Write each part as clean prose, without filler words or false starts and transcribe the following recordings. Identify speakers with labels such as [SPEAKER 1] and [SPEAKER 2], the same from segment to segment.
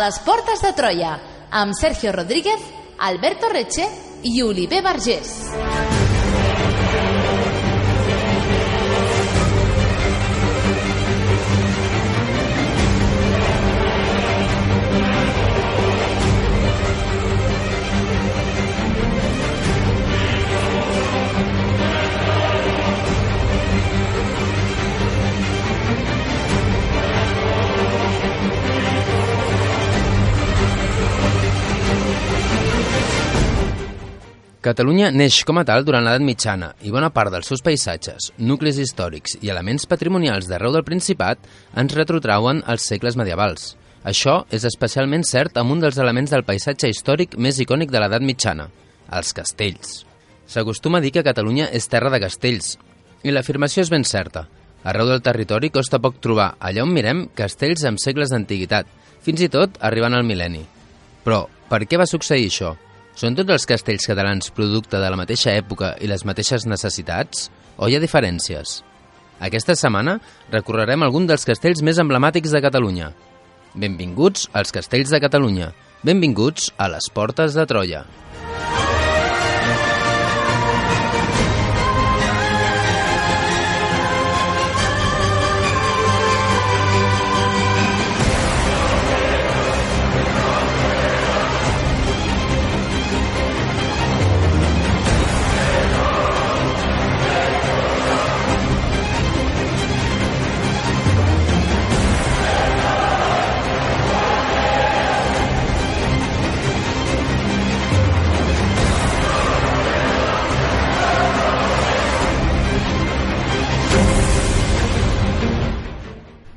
[SPEAKER 1] les portes de Troia, amb Sergio Rodríguez, Alberto Reche i Oliver Vergés.
[SPEAKER 2] Catalunya neix com a tal durant l'edat mitjana i bona part dels seus paisatges, nuclis històrics i elements patrimonials d'arreu del Principat ens retrotrauen als segles medievals. Això és especialment cert amb un dels elements del paisatge històric més icònic de l'edat mitjana, els castells. S'acostuma a dir que Catalunya és terra de castells, i l'afirmació és ben certa. Arreu del territori costa poc trobar, allà on mirem, castells amb segles d'antiguitat, fins i tot arribant al mil·lenni. Però, per què va succeir això? Són tots els castells catalans producte de la mateixa època i les mateixes necessitats? O hi ha diferències? Aquesta setmana recorrerem algun dels castells més emblemàtics de Catalunya. Benvinguts als Castells de Catalunya. Benvinguts a les Portes de Troia.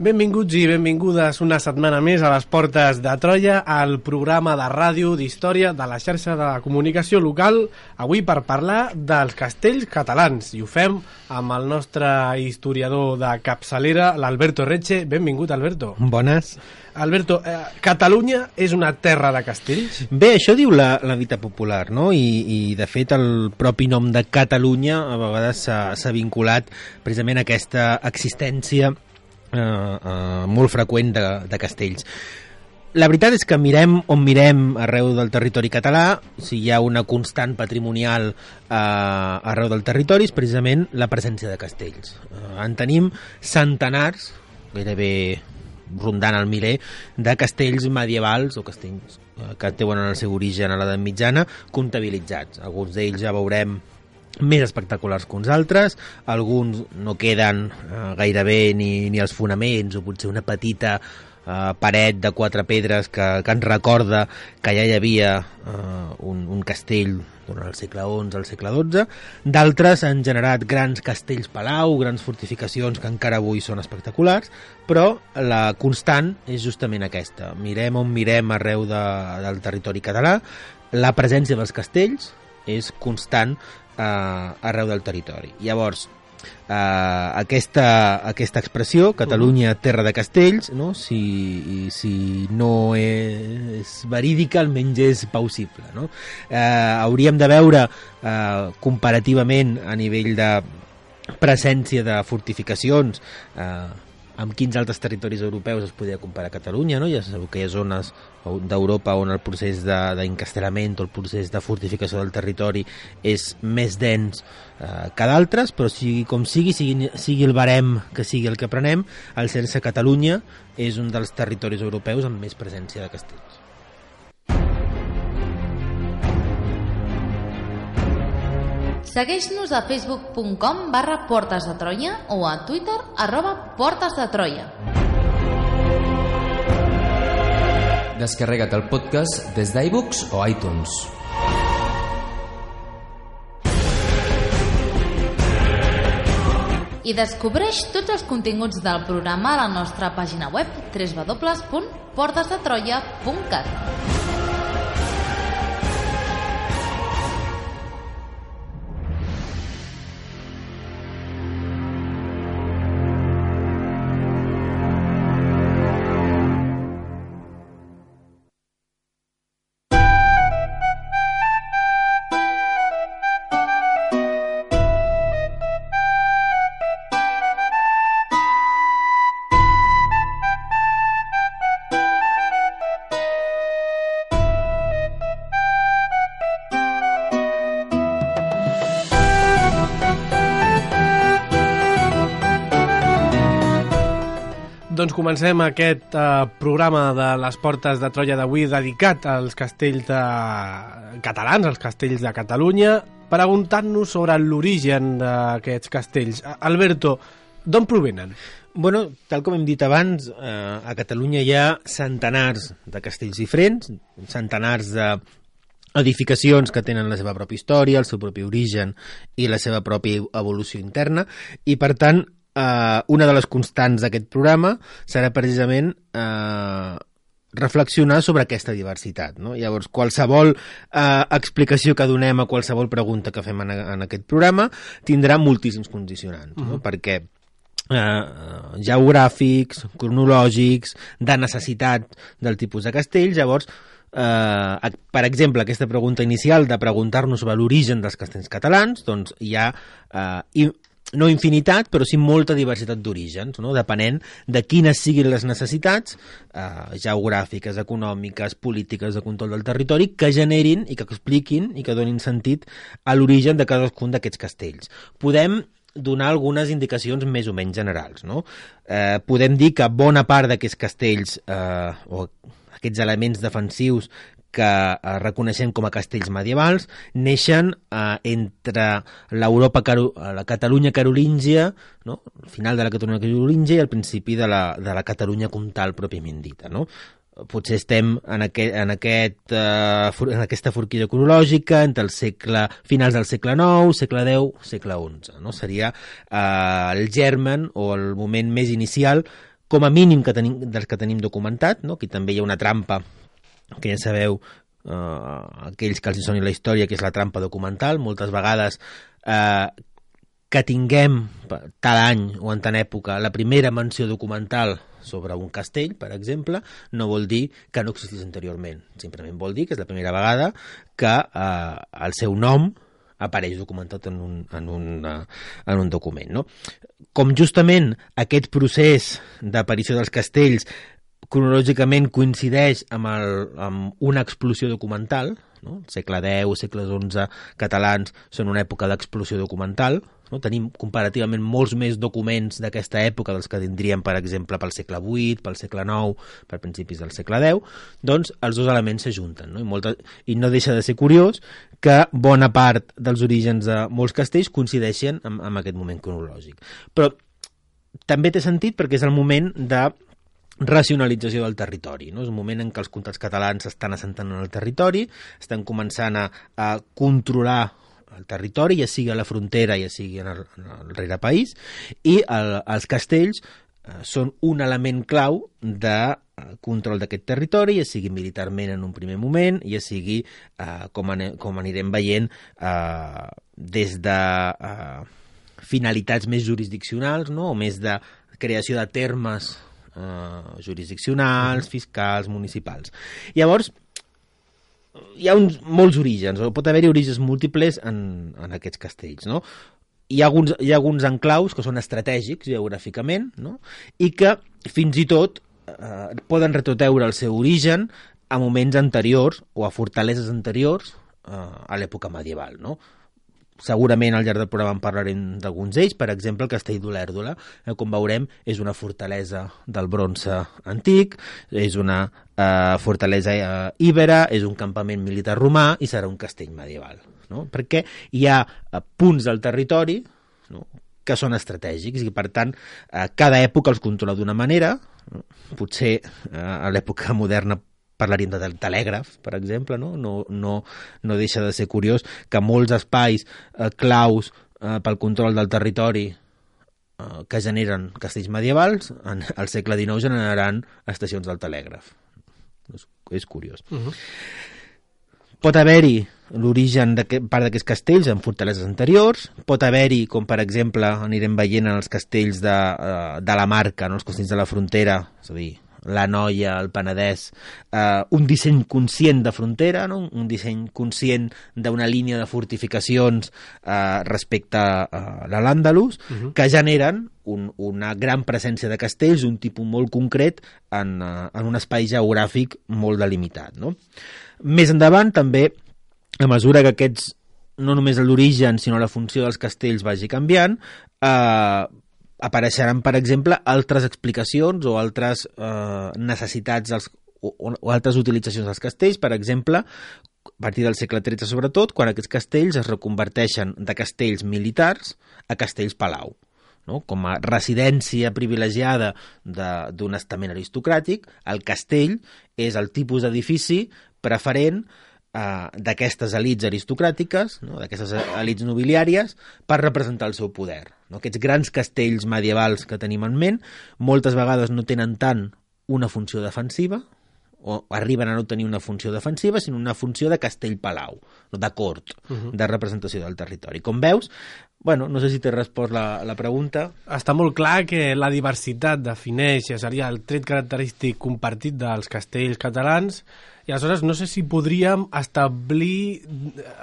[SPEAKER 3] Benvinguts i benvingudes una setmana més a les Portes de Troia, al programa de ràdio d'història de la xarxa de comunicació local, avui per parlar dels castells catalans. I ho fem amb el nostre historiador de capçalera, l'Alberto Reche. Benvingut, Alberto.
[SPEAKER 4] Bones.
[SPEAKER 3] Alberto, Catalunya és una terra de castells?
[SPEAKER 4] Bé, això diu la dita popular, no? I de fet el propi nom de Catalunya a vegades s'ha vinculat precisament a aquesta existència molt freqüent de castells. La veritat és que mirem on mirem arreu del territori català, si hi ha una constant patrimonial arreu del territori, és precisament la presència de castells. En tenim centenars, gairebé rondant el miler, de castells medievals o castells que tenen el seu origen a l'edat mitjana comptabilitzats. Alguns d'ells ja veurem més espectaculars que uns altres, alguns no queden gairebé ni els fonaments o potser una petita paret de 4 pedres que ens recorda que ja hi havia un castell durant el segle XI al segle XII. D'altres han generat grans castells palau, grans fortificacions que encara avui són espectaculars, però la constant és justament aquesta. Mirem on mirem arreu del territori català, la presència dels castells és constant arreu del territori. Llavors, aquesta expressió, Catalunya, terra de castells, no? Si no és verídica, almenys és plausible, no? Hauríem de veure comparativament a nivell de presència de fortificacions amb quins altres territoris europeus es podria comparar Catalunya, no? Ja sabeu que hi ha zones d'Europa on el procés d'encastellament o el procés de fortificació del territori és més dens que d'altres, però sigui el barem que sigui el que prenem, el cert és que Catalunya és un dels territoris europeus amb més presència de castells.
[SPEAKER 1] Segueix-nos a facebook.com/Portes de Troia o a Twitter @Portes de Troia.
[SPEAKER 2] Descarrega't el podcast des d'iVoox o iTunes.
[SPEAKER 1] I descobreix tots els continguts del programa a la nostra pàgina web www.portesdetroia.cat.
[SPEAKER 3] Doncs comencem aquest programa de les Portes de Troia d'avui dedicat als castells catalans, als castells de Catalunya, preguntant-nos sobre l'origen d'aquests castells. Alberto, d'on provenen?
[SPEAKER 4] Bueno, tal com hem dit abans, a Catalunya hi ha centenars de castells diferents, centenars d'edificacions que tenen la seva pròpia història, el seu propi origen i la seva pròpia evolució interna, i per tant, una de les constants d'aquest programa serà precisament reflexionar sobre aquesta diversitat, no? Llavors, qualsevol explicació que donem a qualsevol pregunta que fem en aquest programa tindrà moltíssims condicionants, no? Perquè geogràfics, cronològics, de necessitat del tipus de castell. Llavors, per exemple, aquesta pregunta inicial de preguntar-nos sobre l'origen dels castells catalans, doncs hi ha no infinitat, però sí molta diversitat d'orígens, no? Depenent de quines siguin les necessitats geogràfiques, econòmiques, polítiques, de control del territori, que generin i que expliquin i que donin sentit a l'origen de cadascun d'aquests castells. Podem donar algunes indicacions més o menys generals, no? Podem dir que bona part d'aquests castells o aquests elements defensius que reconeixem com a castells medievals neixen entre la Catalunya carolíngia, no? Al final de la Catalunya carolíngia i al principi de la Catalunya comtal pròpiament dita, no? Potser estem en aquesta forquilla cronològica entre finals del segle IX, segle X, segle XI, no? Seria el germen o el moment més inicial, com a mínim dels que tenim documentat, no? Aquí també hi ha una trampa que ja sabeu, aquells que els soni la història, que és la trampa documental. Moltes vegades que tinguem tal any o en tant època la primera menció documental sobre un castell, per exemple, no vol dir que no existís anteriorment. Simplement vol dir que és la primera vegada que el seu nom apareix documentat en un document, no? Com justament aquest procés d'aparició dels castells cronològicament coincideix amb una explosió documental, no? El segle X, segles XI catalans són una època d'explosió documental, no? Tenim comparativament molts més documents d'aquesta època dels que tindríem, per exemple, pel segle VIII, pel segle IX, per principis del segle X, doncs els dos elements s'ajunten, no? I no deixa de ser curiós que bona part dels orígens de molts castells coincideixen amb aquest moment cronològic. Però també té sentit perquè és el moment de racionalització del territori, no? És un moment en què els comtats catalans s'estan assentant en el territori, estan començant a controlar el territori, ja sigui a la frontera, ja sigui en el rerepaís, i els castells són un element clau de control d'aquest territori, ja sigui militarment en un primer moment, ja sigui, com anirem veient, des de finalitats més jurisdiccionals, no? O més de creació de termes jurisdiccionals, fiscals, municipals. Llavors, hi ha molts orígens, o pot haver-hi orígens múltiples en aquests castells, no? Hi ha alguns enclaus que són estratègics geogràficament, no? I que fins i tot poden retroteure el seu origen a moments anteriors o a fortaleses anteriors a l'època medieval, no? Segurament al llarg del programa en parlarem d'alguns d'ells, per exemple el castell d'Olèrdola, com veurem és una fortalesa del bronze antic, és una fortalesa íbera, és un campament militar romà i serà un castell medieval, no? Perquè hi ha punts del territori, no?, que són estratègics i per tant cada època els controla d'una manera, no? Potser a l'època moderna parlaríem del telègraf, per exemple, no? No deixa de ser curiós que molts espais claus pel control del territori que generen castells medievals, al segle XIX generaran estacions del telègraf. És curiós. Pot haver-hi l'origen de part d'aquests castells en fortaleses anteriors, pot haver-hi, com per exemple anirem veient en els castells de la Marca, no? Els castells de la frontera, és a dir, la Noia, el Penedès, un disseny conscient de frontera, no? Un disseny conscient d'una línia de fortificacions respecte a l'Àndalus, que generen una gran presència de castells, un tipus molt concret en un espai geogràfic molt delimitat, no? Més endavant, també, a mesura que aquests, no només l'origen, sinó la funció dels castells vagi canviant, apareixeran, per exemple, altres explicacions o altres necessitats o altres utilitzacions dels castells. Per exemple, a partir del segle XIII sobretot, quan aquests castells es reconverteixen de castells militars a castells palau, no? Com a residència privilegiada d'un estament aristocràtic, el castell és el tipus d'edifici preferent d'aquestes elits aristocràtiques, no? D'aquestes elits nobiliàries, per representar el seu poder. No? Aquests grans castells medievals que tenim en ment moltes vegades no tenen tant una funció defensiva, o arriben a no tenir una funció defensiva, sinó una funció de castell-palau, de cort, de representació del territori. Com veus, bueno, no sé si t'he respost la pregunta.
[SPEAKER 3] Està molt clar que la diversitat defineix, seria el tret característic compartit dels castells catalans, i aleshores no sé si podríem establir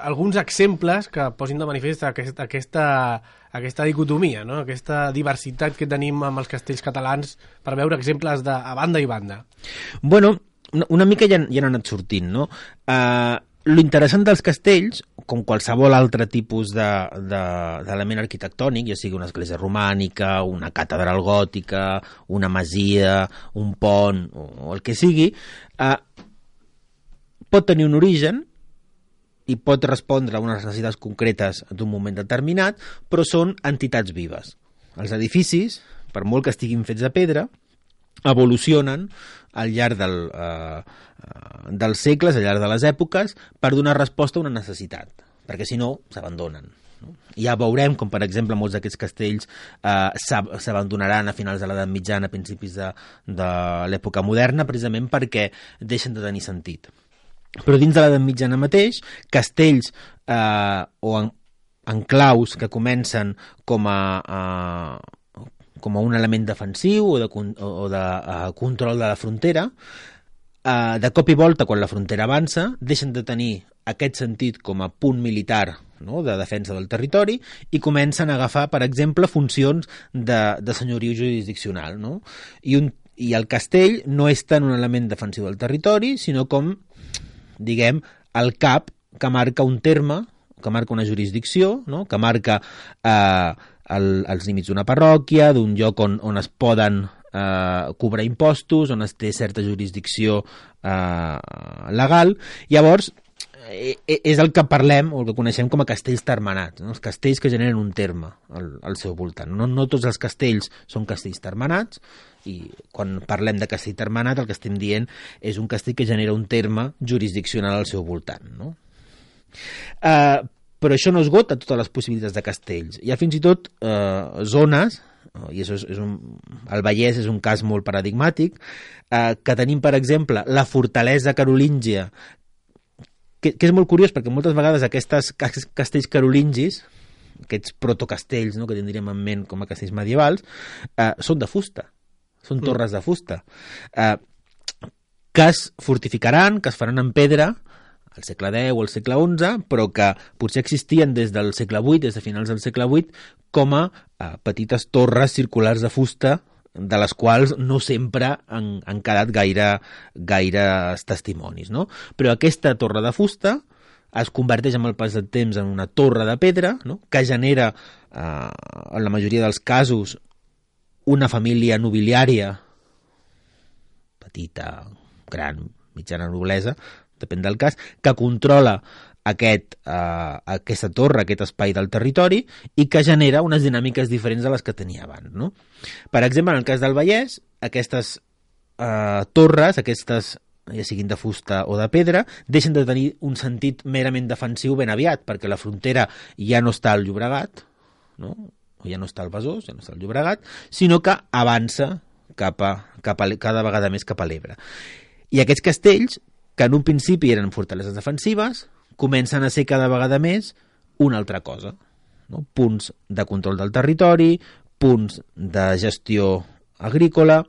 [SPEAKER 3] alguns exemples que posin de manifest aquesta dicotomia, no? Aquesta diversitat que tenim amb els castells catalans, per veure exemples a banda i banda.
[SPEAKER 4] Bueno, una mica ja han anat sortint, no? Lo interessant dels castells, com qualsevol altre tipus d'element arquitectònic, ja sigui una església romànica, una catedral gòtica, una masia, un pont, o el que sigui, pot tenir un origen i pot respondre a unes necessitats concretes d'un moment determinat, però són entitats vives. Els edificis, per molt que estiguin fets de pedra, evolucionen al llarg dels segles, al llarg de les èpoques, per donar resposta a una necessitat, perquè si no s'abandonen. Ja veurem com, per exemple, molts d'aquests castells s'abandonaran a finals de l'edat mitjana, a principis de l'època moderna, precisament perquè deixen de tenir sentit. Però dins de l'edat mitjana mateix, castells o enclaus que comencen com a un element defensiu o de control de la frontera, de cop i volta, quan la frontera avança, deixen de tenir aquest sentit com a punt militar, no?, de defensa del territori, i comencen a agafar, per exemple, funcions de senyoriu jurisdiccional, no? I el castell no és tant un element defensiu del territori, sinó com, diguem, el cap que marca un terme, que marca una jurisdicció, no?, que marca els límits d'una parròquia, d'un lloc on es poden cobrar impostos, on es té certa jurisdicció legal. Llavors, és el que parlem, o el que coneixem com a castells termenats, no? Els castells que generen un terme al seu voltant. No tots els castells són castells termenats, i quan parlem de castell termenat el que estem dient és un castell que genera un terme jurisdiccional al seu voltant, no? Però això no esgota totes les possibilitats de castells. Hi ha fins i tot zones, i el Vallès és un cas molt paradigmàtic, que tenim, per exemple, la fortalesa carolíngia, que és molt curiós perquè moltes vegades aquests castells carolingis, aquests protocastells, no?, que tindríem en ment com a castells medievals, són de fusta, són torres de fusta, que es fortificaran, que es faran en pedra al segle X o al segle XI, però que potser existien des del segle VIII, des de finals del segle VIII, com a petites torres circulars de fusta, de les quals no sempre han quedat gaires testimonis, no? Però aquesta torre de fusta es converteix amb el pas del temps en una torre de pedra, no?, que genera, en la majoria dels casos, una família nobiliària, petita, gran, mitjana noblesa, depèn del cas, que controla aquesta torre, aquest espai del territori, i que genera unes dinàmiques diferents de les que tenia abans, no? Per exemple, en el cas del Vallès, aquestes torres, ja siguin de fusta o de pedra, deixen de tenir un sentit merament defensiu ben aviat, perquè la frontera ja no està al Llobregat, no?, o ja no està al Besòs, ja no està al Llobregat, sinó que avança cada vegada més cap a l'Ebre. I aquests castells, que en un principi eren fortaleses defensives, comencen a ser cada vegada més una altra cosa, no? Punts de control del territori, punts de gestió agrícola,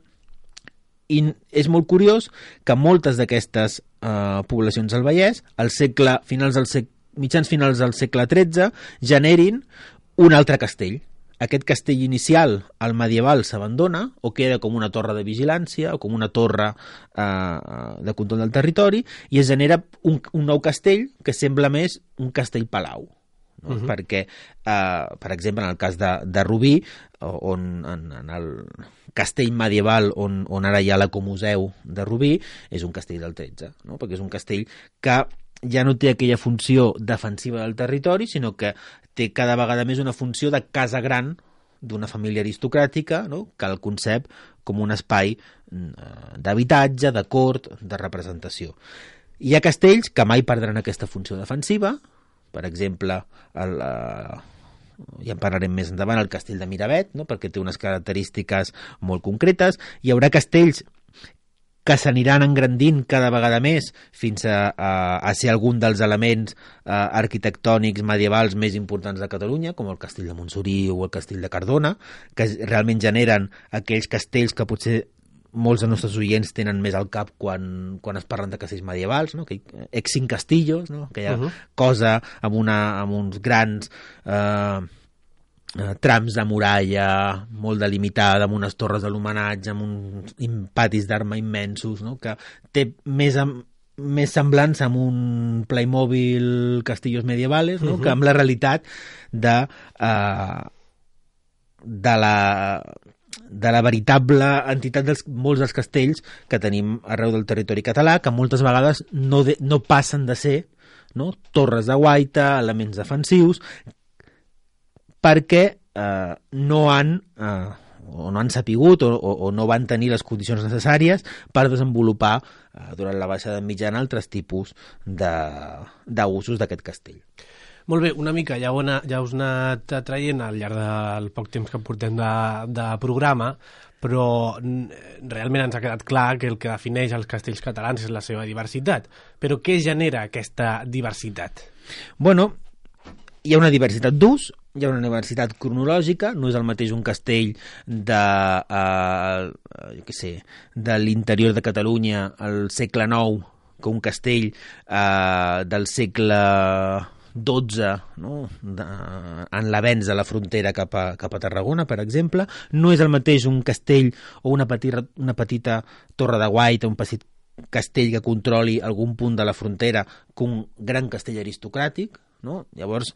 [SPEAKER 4] i és molt curiós que moltes d'aquestes poblacions del Vallès, mitjans finals del segle XIII, generin un altre castell. Aquest castell inicial, el medieval, s'abandona o queda com una torre de vigilància o com una torre de control del territori, i es genera un nou castell que sembla més un castell-palau, no? Perquè, per exemple, en el cas de Rubí, on en el castell medieval on ara hi ha l'ecomuseu de Rubí, és un castell del 13, no? Perquè és un castell que ja no té aquella funció defensiva del territori, sinó que té cada vegada més una funció de casa gran d'una família aristocràtica, no? Que el concep com un espai d'habitatge, de cort, de representació. Hi ha castells que mai perdran aquesta funció defensiva, per exemple, ja en parlarem més endavant, el castell de Miravet, no? Perquè té unes característiques molt concretes. Hi haurà castells que s'aniran engrandint cada vegada més fins a ser algun dels elements arquitectònics medievals més importants de Catalunya, com el castell de Montsoriu o el castell de Cardona, que realment generen aquells castells que potser molts dels nostres oients tenen més al cap quan es parlen de castells medievals, no? Ex-cinc castillos, no? Aquella cosa amb uns grans trams de muralla molt delimitada, amb unes torres de l'homenatge, amb uns patis d'arma immensos, no? Que té més semblança amb un Playmobil Castillos Medievales, no? Que amb la realitat de la veritable entitat molts dels castells que tenim arreu del territori català, que moltes vegades no passen de ser, no? Torres de guaita, elements defensius, perquè no han sapigut o no van tenir les condicions necessàries per desenvolupar durant la baixada mitjana altres tipus d'usos d'aquest castell.
[SPEAKER 3] Molt bé, una mica ja us he anat traient al llarg del poc temps que portem de programa, però realment ens ha quedat clar que el que defineix els castells catalans és la seva diversitat. Però què genera aquesta diversitat?
[SPEAKER 4] Bueno, hi ha una diversitat d'ús, hi ha una diversitat cronològica, no és el mateix un castell de l'interior de Catalunya al segle IX que un castell del segle XII, no? En l'avenç de la frontera cap a Tarragona, per exemple. No és el mateix un castell o una petita torre de guaita, un petit castell que controli algun punt de la frontera que un gran castell aristocràtic, no? Llavors,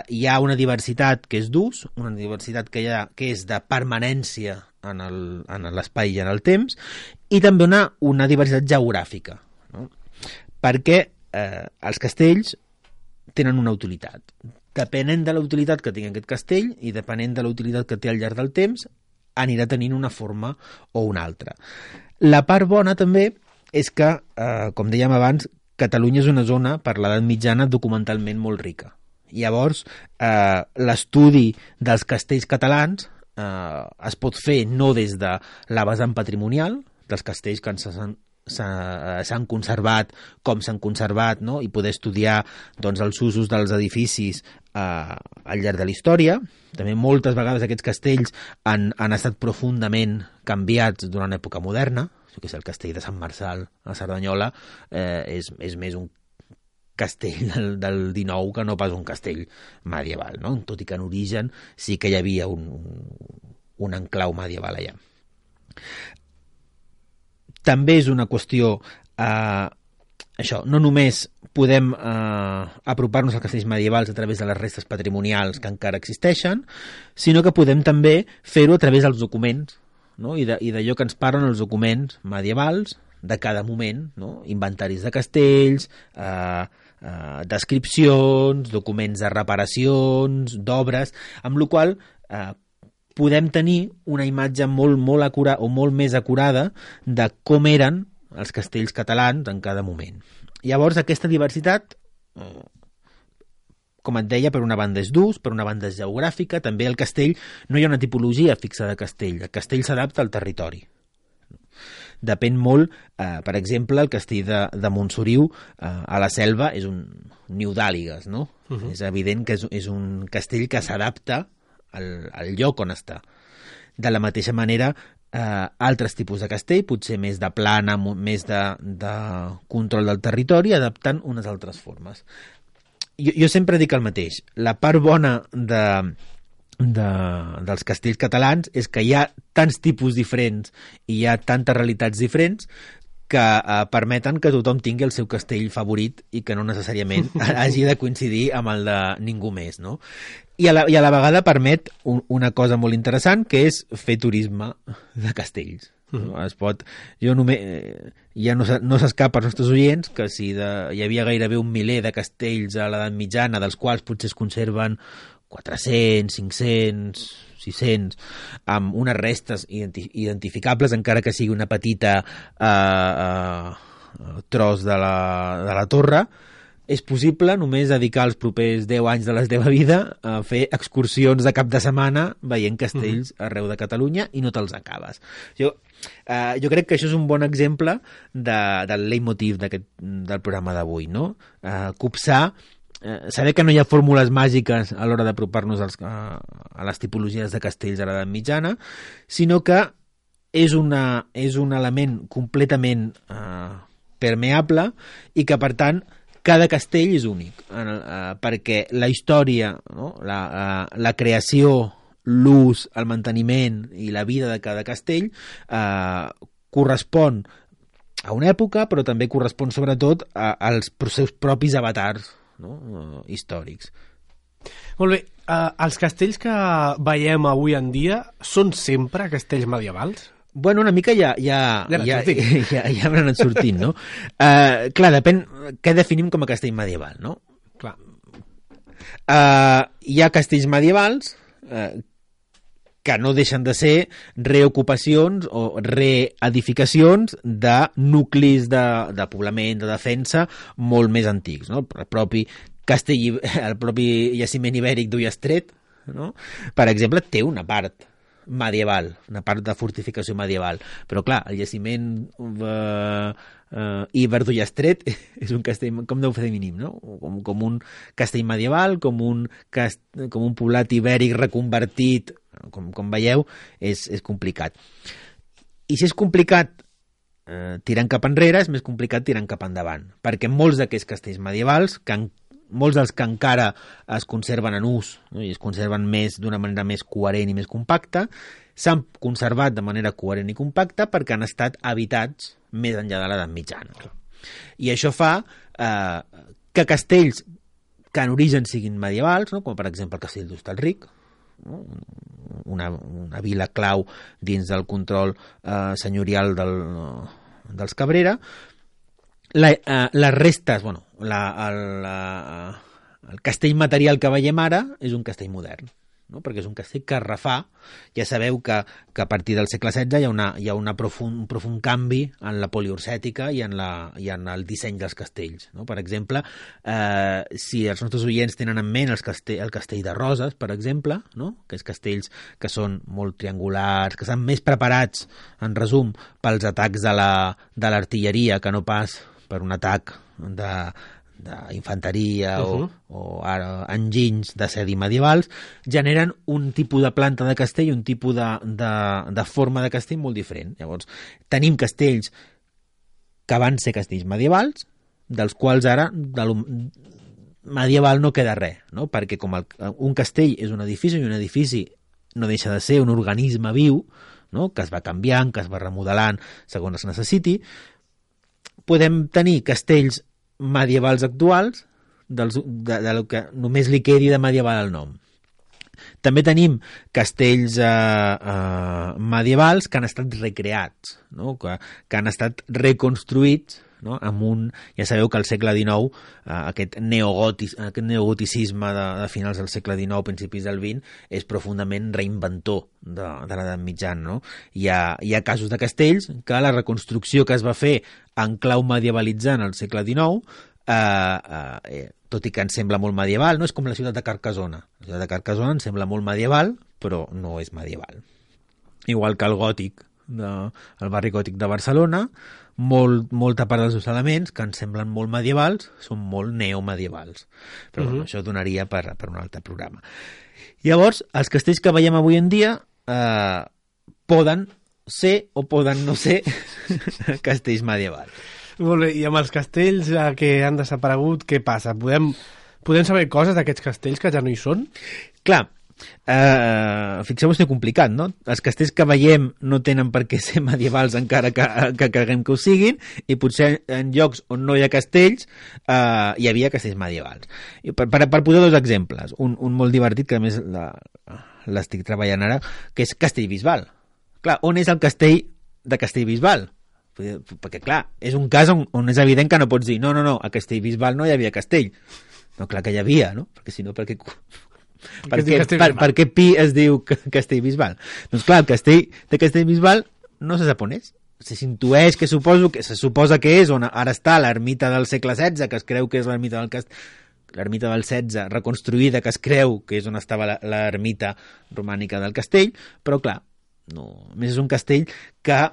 [SPEAKER 4] hi ha una diversitat que és d'ús, una diversitat que és de permanència en l'espai i en el temps, i també una diversitat geogràfica, no? Perquè els castells tenen una utilitat. Depenent de la utilitat que tingui aquest castell i depenent de la utilitat que té al llarg del temps, anirà tenint una forma o una altra. La part bona també és que, com dèiem abans, Catalunya és una zona, per l'edat mitjana, documentalment molt rica. Llavors, l'estudi dels castells catalans es pot fer no des de la vessant patrimonial, dels castells que s'han conservat, com s'han conservat, no? I poder estudiar doncs, els usos dels edificis al llarg de la història. També moltes vegades aquests castells han estat profundament canviats durant l'època moderna. El castell de Sant Marçal a Cerdanyola és més un castell del XIX que no pas un castell medieval, no? Tot i que en origen sí que hi havia un enclau medieval allà. També és una qüestió això, no només podem apropar-nos als castells medievals a través de les restes patrimonials que encara existeixen, sinó que podem també fer-ho a través dels documents, no? I d'allò que ens parlen els documents medievals de cada moment, no? Inventaris de castells, descripcions, documents de reparacions, d'obres, amb la qual podem tenir una imatge molt acurada o molt més acurada de com eren els castells catalans en cada moment. Llavors, aquesta diversitat, com et deia, per una banda és d'ús, per una banda és geogràfica, també el castell, no hi ha una tipologia fixa de castell, el castell s'adapta al territori. Depèn molt, per exemple, el castell de Montsoriu a la Selva és un niu d'àligues, no? És evident que és un castell que s'adapta al lloc on està. De la mateixa manera, altres tipus de castell, potser més de plana, més de control del territori, adaptant unes altres formes. Jo sempre dic el mateix. La part bona dels castells catalans és que hi ha tants tipus diferents i hi ha tantes realitats diferents que permeten que tothom tingui el seu castell favorit i que no necessàriament hagi de coincidir amb el de ningú més, no? I a la vegada permet una cosa molt interessant, que és fer turisme de castells. Es pot, ja no s'escapa als nostres oients que si hi havia gairebé 1 miler de castells a l'edat mitjana, dels quals potser es conserven 400, 500, 600, amb unes restes identificables, encara que sigui una petita tros de la torre, és possible només dedicar els propers 10 anys de la teva vida a fer excursions de cap de setmana veient castells arreu de Catalunya i no te'ls acabes. Jo crec que això és un bon exemple del leitmotiv del programa d'avui, no? Copsar, saber que no hi ha fórmules màgiques a l'hora d'apropar-nos a les tipologies de castells de l'edat mitjana, sinó que és un element completament permeable i que, per tant, cada castell és únic, perquè la història, no? la creació, l'ús, el manteniment i la vida de cada castell correspon a una època, però també correspon sobretot als seus propis avatars, no? Històrics.
[SPEAKER 3] Molt bé, els castells que veiem avui en dia són sempre castells medievals?
[SPEAKER 4] Bueno, una mica ja m'han anat sortint, no? Clar, depèn què definim com a castell medieval, no?
[SPEAKER 3] Clar.
[SPEAKER 4] Hi ha castells medievals que no deixen de ser reocupacions o reedificacions de nuclis de poblament, de defensa, molt més antics, no? El propi jaciment ibèric d'Ullastret, no? Per exemple, té una part medieval, una part de fortificació medieval, però clar, el jaciment Iber d'Ullastret és un castell, com deu fer mínim, no? Com un castell medieval, com un poblat ibèric reconvertit, com veieu, és complicat. I si és complicat tirant cap enrere, és més complicat tirant cap endavant, perquè molts d'aquests castells medievals, molts dels que encara es conserven en ús, no? I es conserven d'una manera més coherent i més compacta, s'han conservat de manera coherent i compacta perquè han estat habitats més enllà de l'edat mitjana. I això fa que castells que en origen siguin medievals, no? Com per exemple el castell d'Hostalric, no? una vila clau dins del control senyorial dels Cabrera, les restes, el castell material que veiem ara és un castell modern, no? Perquè és un castell que es refà. Ja sabeu que a partir del segle XVI hi ha un profund canvi en la poliursètica i en el disseny dels castells, no? Per exemple, si els nostres oients tenen en ment el castell de Roses, per exemple, no? Que és castells que són molt triangulars, que estan més preparats, en resum, pels atacs de l'artilleria que no pas per un atac d'infanteria o enginys d'assedi medievals, generen un tipus de planta de castell, un tipus de forma de castell molt diferent. Llavors, tenim castells que van ser castells medievals, dels quals ara medieval no queda res, no? Perquè com un castell és un edifici, i un edifici no deixa de ser un organisme viu, no? Que es va canviant, que es va remodelant segons es necessiti, podem tenir castells medievals actuals del que només li quedi de medieval al nom. També tenim castells medievals que han estat recreats, no? que han estat reconstruïts, no? Ja sabeu que al segle XIX aquest neogoticisme de finals del segle XIX, principis del XX, és profundament reinventor de l'edat mitjana, no? Hi ha casos de castells que la reconstrucció que es va fer en clau medievalitzant al segle XIX, tot i que ens sembla molt medieval, no? És com la ciutat de Carcassona. La ciutat de Carcassona ens sembla molt medieval, però no és medieval. Igual que el gòtic, el barri gòtic de Barcelona, molta part dels seus elements que ens semblen molt medievals són molt neomedievals, però bueno, això donaria per un altre programa. Llavors, els castells que veiem avui en dia poden ser o poden no ser castells medievals.
[SPEAKER 3] Molt bé, i amb els castells que han desaparegut, què passa? Podem saber coses d'aquests castells que ja no hi són?
[SPEAKER 4] Clar, fixeu-vos que complicat, no? Els castells que veiem no tenen per què ser medievals encara que creguem que ho siguin, i potser en llocs on no hi ha castells hi havia castells medievals. I per posar dos exemples, un molt divertit, que a més l'estic treballant ara, que és Castellbisbal. Clar, on és el castell de Castellbisbal? Perquè clar, és un cas on és evident que no pots dir no, a Castellbisbal no hi havia castell. No, clar que hi havia, no? Perquè si no, per què Pi es diu Castellbisbal? Doncs clar, el castell de Castellbisbal no se sap on és. S'intueix que se suposa que és on ara està l'ermita del segle XVI, que es creu que és l'ermita del XVI reconstruïda, que es creu que és on estava l'ermita romànica del castell, però clar, no. A més és un castell que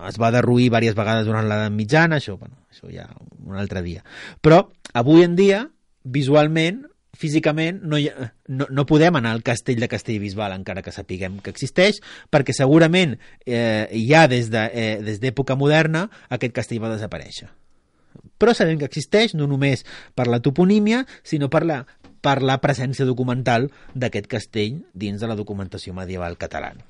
[SPEAKER 4] es va derruir diverses vegades durant l'edat mitjana, això ja un altre dia. Però avui en dia, visualment, físicament, no podem anar al castell de Castellbisbal, encara que sapiguem que existeix, perquè segurament ja des d'època moderna aquest castell va desaparèixer. Però sabem que existeix no només per la toponímia, sinó per la presència documental d'aquest castell dins de la documentació medieval catalana.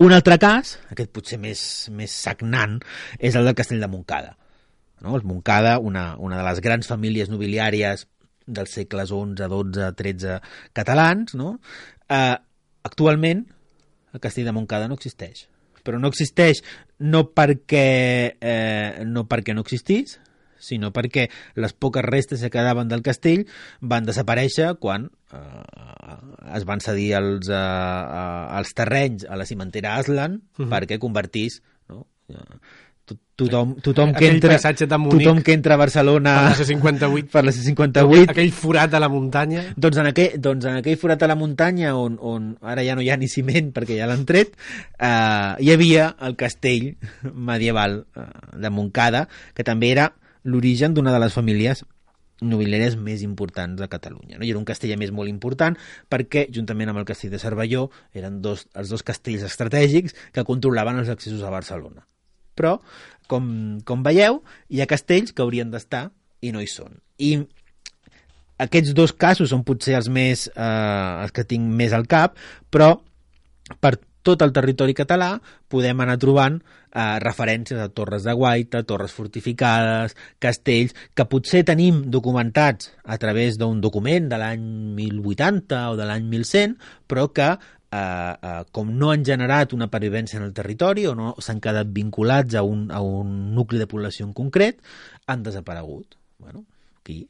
[SPEAKER 4] Un altre cas, aquest potser més sagnant, és el del castell de Montcada. No? El Montcada, una de les grans famílies nobiliàries dels segles XI, XII, XIII catalans, no? Actualment el castell de Montcada no existeix, però no existeix no perquè no existís, sinó perquè les poques restes que quedaven del castell van desaparèixer quan es van cedir els terrenys a la cimentera Aslan perquè convertís, no? Tothom que entra a Barcelona
[SPEAKER 3] per la C58, aquell forat a la muntanya,
[SPEAKER 4] doncs en aquell forat a la muntanya on ara ja no hi ha ni ciment perquè ja l'han tret, hi havia el castell medieval de Montcada, que també era l'origen d'una de les famílies nobiliàries més importants de Catalunya, no? I era un castell a més molt important perquè, juntament amb el castell de Cervelló, eren els dos castells estratègics que controlaven els accessos a Barcelona. Però, com veieu, hi ha castells que haurien d'estar i no hi són. I aquests dos casos són potser els que tinc més al cap, però per tot el territori català podem anar trobant referències a torres de guaita, torres fortificades, castells, que potser tenim documentats a través d'un document de l'any 1080 o de l'any 1100, però que com no han generat una pervivència en el territori o no s'han quedat vinculats a un nucli de població en concret, han desaparegut. Bueno, aquí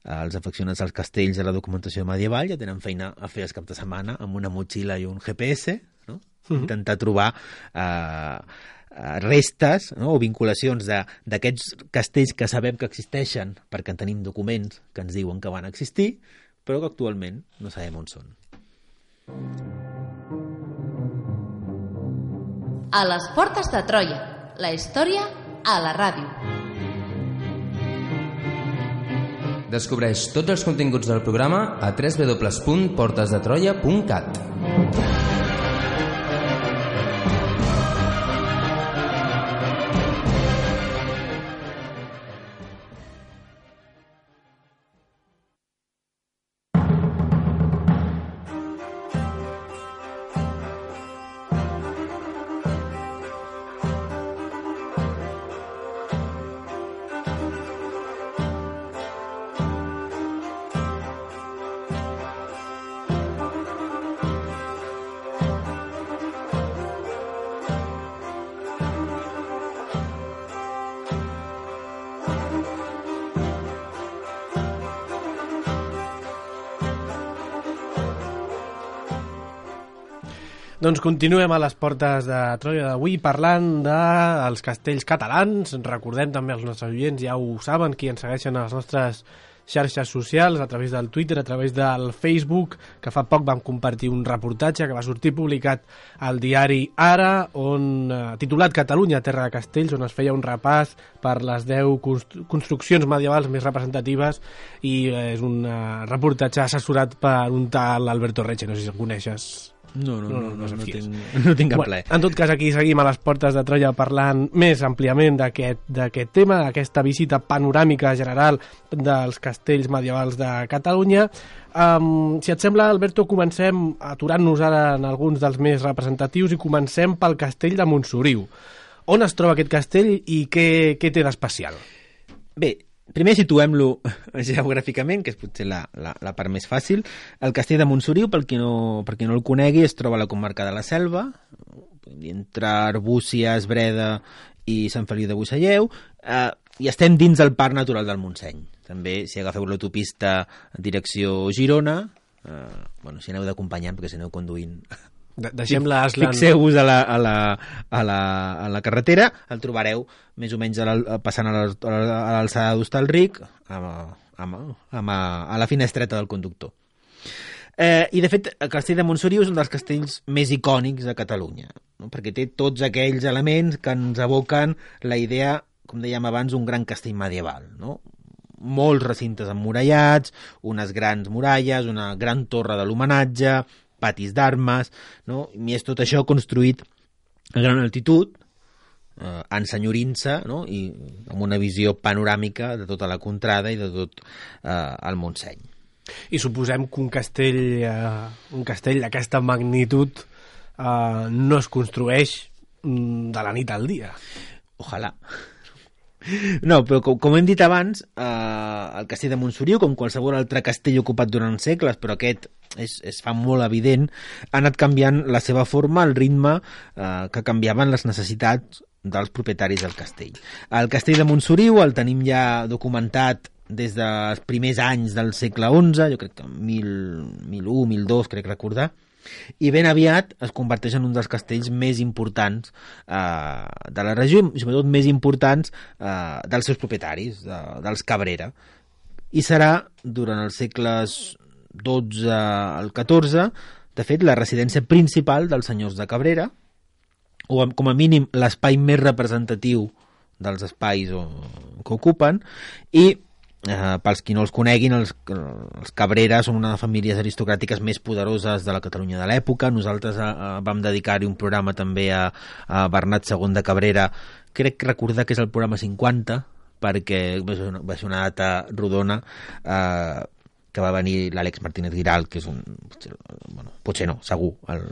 [SPEAKER 4] els afeccionats als castells de la documentació medieval ja tenen feina a fer els caps de setmana amb una motxilla i un GPS, no? Intentar trobar restes, no? O vinculacions d'aquests castells que sabem que existeixen perquè en tenim documents que ens diuen que van existir, però que actualment no sabem on són.
[SPEAKER 1] A les portes de Troia, la història a la ràdio.
[SPEAKER 2] Descobreix tots els continguts del programa a www.portesdetroia.cat.
[SPEAKER 3] Doncs continuem a les portes de Troia d'avui parlant dels castells catalans. Recordem també als nostres oients, ja ho saben, qui ens segueixen a les nostres xarxes socials, a través del Twitter, a través del Facebook, que fa poc vam compartir un reportatge que va sortir publicat al diari Ara, titulat Catalunya, terra de castells, on es feia un repàs per les 10 construccions medievals més representatives, i és un reportatge assessorat per un tal Alberto Reche, no sé si el coneixes.
[SPEAKER 4] No tinc cap plaer.
[SPEAKER 3] En tot cas, aquí seguim a les portes de Troia parlant més àmpliament d'aquest tema, d'aquesta visita panoràmica general dels castells medievals de Catalunya. Si et sembla, Alberto, comencem aturant-nos ara en alguns dels més representatius i comencem pel castell de Montsoriu. On es troba aquest castell i què té d'especial?
[SPEAKER 4] Bé, primer situem-lo geogràficament, que és potser la part més fàcil. El castell de Montsoriu, per qui no el conegui, es troba a la comarca de la Selva, entre Arbúcies, Breda i Sant Feliu de Buixalleu, i estem dins del Parc Natural del Montseny. També, si agafeu l'autopista en direcció Girona, si aneu d'acompanyant, perquè si aneu conduint...
[SPEAKER 3] Deixem-la Aslan.
[SPEAKER 4] Fixeu-vos a la carretera, el trobareu més o menys passant a l'alçada d'Hostalric, a la finestreta del conductor. I de fet el castell de Montsoriu és un dels castells més icònics de Catalunya, no? Perquè té tots aquells elements que ens evoquen la idea, com dèiem abans, d'un gran castell medieval, no? Molts recintes emmurallats, unes grans muralles, una gran torre de l'homenatge, patis d'armes, no? I és tot això construït a gran altitud, ensenyorint-se, no? I amb una visió panoràmica de tota la contrada i de tot el Montseny.
[SPEAKER 3] I suposem que un castell d'aquesta magnitud no es construeix de la nit al dia.
[SPEAKER 4] Ojalà. No, però com hem dit abans, el castell de Montsoriu, com qualsevol altre castell ocupat durant segles, però aquest es fa molt evident, ha anat canviant la seva forma, el ritme que canviaven les necessitats dels propietaris del castell. El castell de Montsoriu el tenim ja documentat des dels primers anys del segle XI, jo crec que 1001, 1002, crec recordar, i ben aviat es converteix en un dels castells més importants de la regió i sobretot més importants dels seus propietaris, dels Cabrera. I serà durant els segles XII al XIV, de fet, la residència principal dels senyors de Cabrera, o com a mínim l'espai més representatiu dels espais que ocupen, i pels qui no els coneguin, els Cabrera són una de les famílies aristocràtiques més poderoses de la Catalunya de l'època. Nosaltres vam dedicar-hi un programa també a Bernat II de Cabrera, crec recordar que és el programa 50, perquè va ser una data rodona, que va venir l'Àlex Martínez Giral, que és potser no, segur, el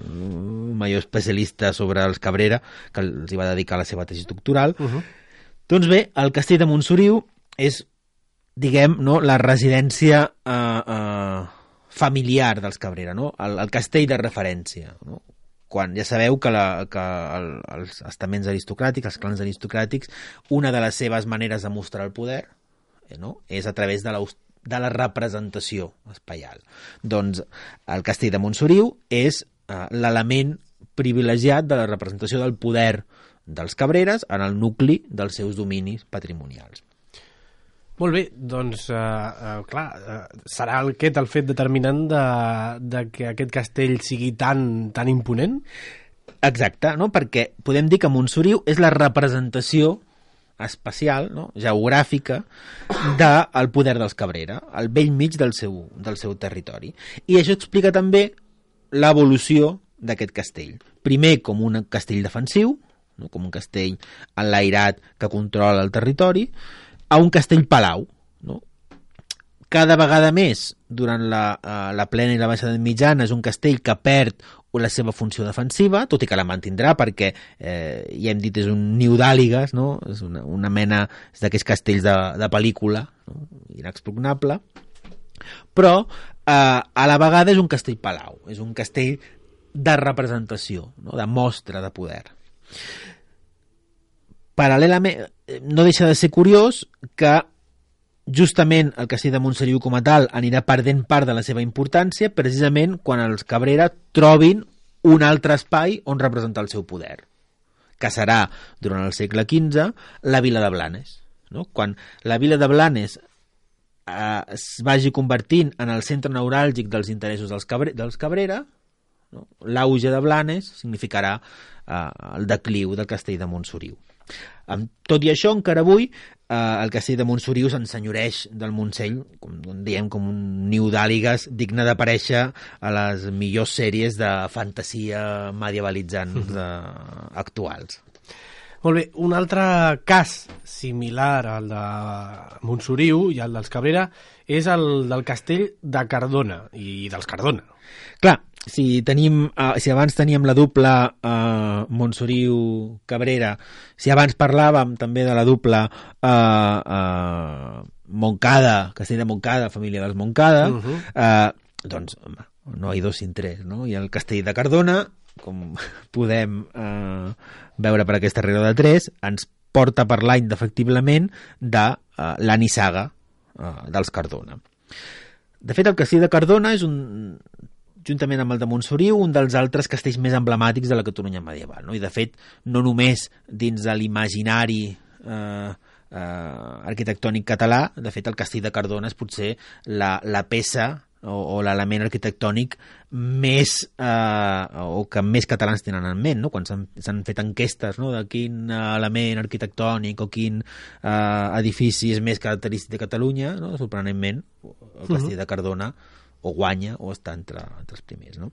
[SPEAKER 4] major especialista sobre els Cabrera, que els hi va dedicar la seva tesi doctoral. Doncs bé, el castell de Montsoriu és, diguem, no, la residència familiar dels Cabrera, no? El castell de referència, no? Quan ja sabeu que els estaments aristocràtics, els clans aristocràtics, una de les seves maneres de mostrar el poder, no? És a través de la representació espaial. Doncs el castell de Montsoriu és l'element privilegiat de la representació del poder dels Cabreres en el nucli dels seus dominis patrimonials.
[SPEAKER 3] Molt bé, doncs, serà aquest el fet determinant de que aquest castell sigui tan imponent?
[SPEAKER 4] Exacte, no? Perquè podem dir que Montsoriu és la representació espacial, no? Geogràfica del poder dels Cabrera, al bell mig del seu territori. I això explica també l'evolució d'aquest castell. Primer com un castell defensiu, no? Com un castell enlairat que controla el territori, a un castell-palau, no? Cada vegada més, durant la plena i la baixa edat mitjana, és un castell que perd la seva funció defensiva, tot i que la mantindrà perquè, ja hem dit, és un niu d'àligues, no? És una mena d'aquests castells de pel·lícula, no? Inexpugnable, però a la vegada és un castell-palau, és un castell de representació, no? De mostra de poder. Paral·lelament, no deixa de ser curiós que justament el castell de Montsoriu com a tal anirà perdent part de la seva importància precisament quan els Cabrera trobin un altre espai on representar el seu poder, que serà, durant el segle XV, la vila de Blanes. No? Quan la vila de Blanes es vagi convertint en el centre neuràlgic dels interessos dels Cabrera, no? L'auge de Blanes significarà el decliu del castell de Montsoriu. Tot i això, encara avui, el castell de Montsoriu s'ensenyoreix del Montseny, com un niu d'àligues digne d'aparèixer a les millors sèries de fantasia medievalitzants actuals.
[SPEAKER 3] Molt bé, un altre cas similar al de Montsoriu i al dels Cabrera és el del castell de Cardona i dels Cardona.
[SPEAKER 4] Clar, si abans teníem la dupla Montsoriu-Cabrera, si abans parlàvem també de la dupla Montcada, castell de Montcada, família dels Montcada, doncs home, no hi dos sin tres, no? I el castell de Cardona, com podem veure per aquesta regla de 3, ens porta a parlar indefectiblement de la nissaga dels Cardona. De fet, el castell de Cardona és juntament amb el de Montsoriu, un dels altres castells més emblemàtics de la Catalunya medieval, no? I de fet, no només dins de l'imaginari arquitectònic català, de fet el castell de Cardona és potser la peça o l'element arquitectònic més o que més catalans tenen en ment, no? Quan s'han fet enquestes, no? De quin element arquitectònic o quin edifici és més característic de Catalunya, no? Sorprenentment el castell de Cardona o guanya o està entre els primers, no?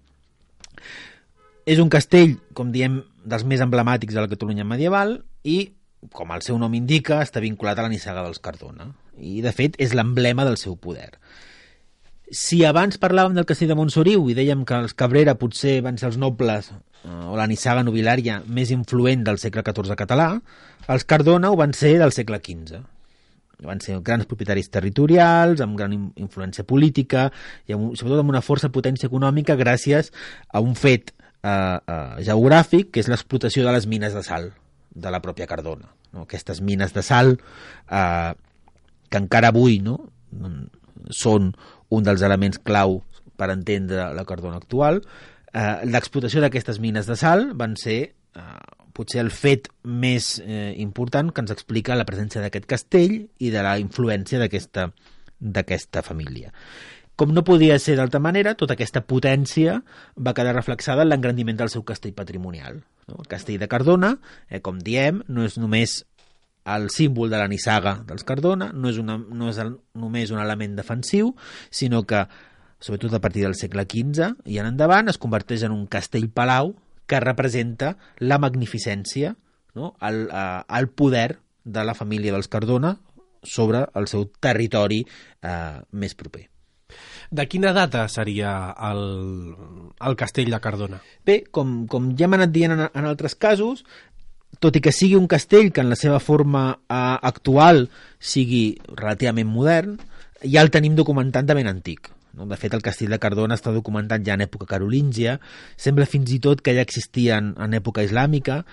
[SPEAKER 4] És un castell, com diem, dels més emblemàtics de la Catalunya medieval i, com el seu nom indica, està vinculat a la nissaga dels Cardona i, de fet, és l'emblema del seu poder. Si abans parlàvem del castell de Montsoriu i dèiem que els Cabrera potser van ser els nobles o la nissaga nobiliària més influent del segle XIV català, els Cardona ho van ser del segle XV. Van ser grans propietaris territorials, amb gran influència política i sobretot amb una força potència econòmica gràcies a un fet geogràfic, que és l'explotació de les mines de sal de la pròpia Cardona, no? Aquestes mines de sal que encara avui, no? Són un dels elements clau per entendre la Cardona actual. L'explotació d'aquestes mines de sal van ser potser el fet més important que ens explica la presència d'aquest castell i de la influència d'aquesta família. Com no podia ser d'altra manera, tota aquesta potència va quedar reflexada en l'engrandiment del seu castell patrimonial, no? El castell de Cardona, com diem, no és només el símbol de la nissaga dels Cardona, no és només un element defensiu, sinó que, sobretot a partir del segle XV i en endavant, es converteix en un castell-palau que representa la magnificència, no? el poder de la família dels Cardona sobre el seu territori més proper.
[SPEAKER 3] De quina data seria el castell de Cardona?
[SPEAKER 4] Bé, com ja hem anat dient en altres casos, tot i que sigui un castell que en la seva forma actual sigui relativament modern, ja el tenim documentat de ben antic. De fet, el castell de Cardona està documentat ja en època carolíngia, sembla fins i tot que ja existien en època islàmica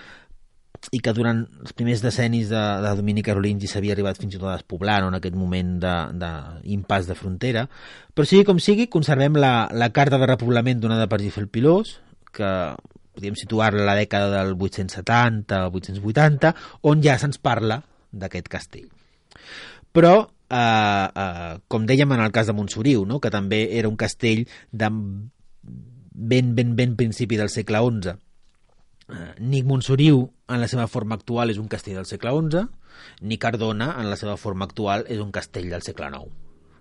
[SPEAKER 4] i que durant els primers decennis de domini carolingi s'havia arribat fins i tot a despoblar, no? En aquest moment d'impàs de frontera. Però sigui com sigui, conservem la carta de repoblament donada per Gifel Pilós, que podríem situar-la a la dècada del 870 o 880, on ja se'ns parla d'aquest castell. Però com dèiem en el cas de Montsoriu, no? Que també era un castell de ben principi del segle XI. Ni Montsoriu en la seva forma actual és un castell del segle XI, ni Cardona en la seva forma actual és un castell del segle IX,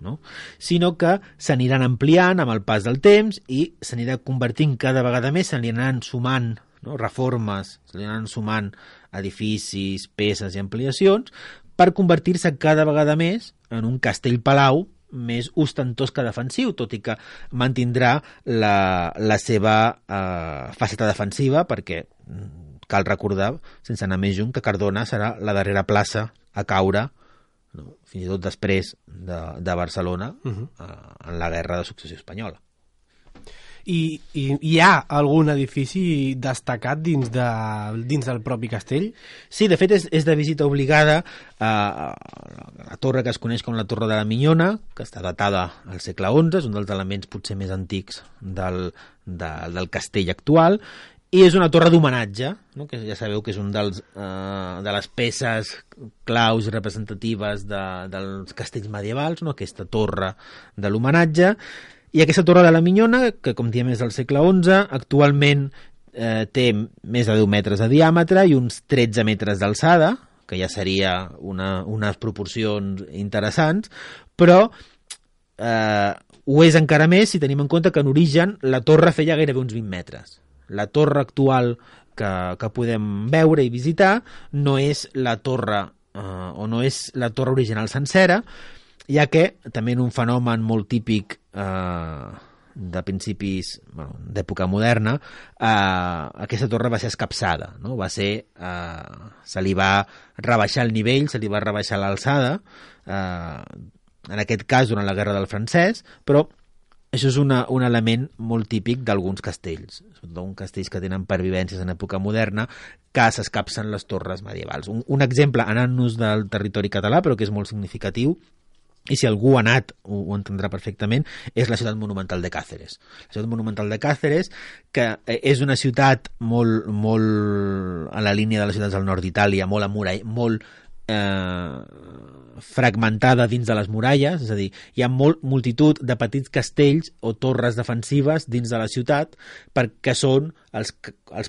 [SPEAKER 4] no? Sinó que s'aniran ampliant amb el pas del temps i s'anirà convertint cada vegada més, s'aniran sumant, no? Reformes, s'aniran sumant edificis, peces i ampliacions per convertir-se cada vegada més en un castell-palau més ostentós que defensiu, tot i que mantindrà la seva faceta defensiva, perquè cal recordar, sense anar més lluny, que Cardona serà la darrera plaça a caure, no? Fins i tot després de Barcelona, en la guerra de successió espanyola.
[SPEAKER 3] I hi ha algun edifici destacat dins del propi castell?
[SPEAKER 4] Sí, de fet és de visita obligada a la torre que es coneix com la Torre de la Minyona, que està datada al segle XI, és un dels elements potser més antics del castell actual, i és una torre d'homenatge, no? Que ja sabeu que és un de les peces claus i representatives dels castells medievals, no? Aquesta torre de l'homenatge. I aquesta Torre de la Minyona, que com diem és del segle XI, actualment té més de 10 metres de diàmetre i uns 13 metres d'alçada, que ja seria unes proporcions interessants, però ho és encara més si tenim en compte que en origen la torre feia gairebé uns 20 metres. La torre actual que podem veure i visitar no és la torre o no és la torre original sencera, ja que també en un fenomen molt típic de principis d'època moderna, aquesta torre va ser escapçada, no? Se li va rebaixar el nivell, se li va rebaixar l'alçada, en aquest cas durant la Guerra del Francès, però això és un element molt típic d'alguns castells, sobretot castells que tenen pervivències en època moderna, que s'escapcen les torres medievals. Un exemple, anant-nos del territori català, però que és molt significatiu, i si algú ha anat ho entendrà perfectament, és la ciutat monumental de Càceres. La ciutat monumental de Càceres, que és una ciutat molt a la línia de les ciutats del nord d'Itàlia, molt fragmentada dins de les muralles, és a dir, hi ha multitud de petits castells o torres defensives dins de la ciutat perquè són els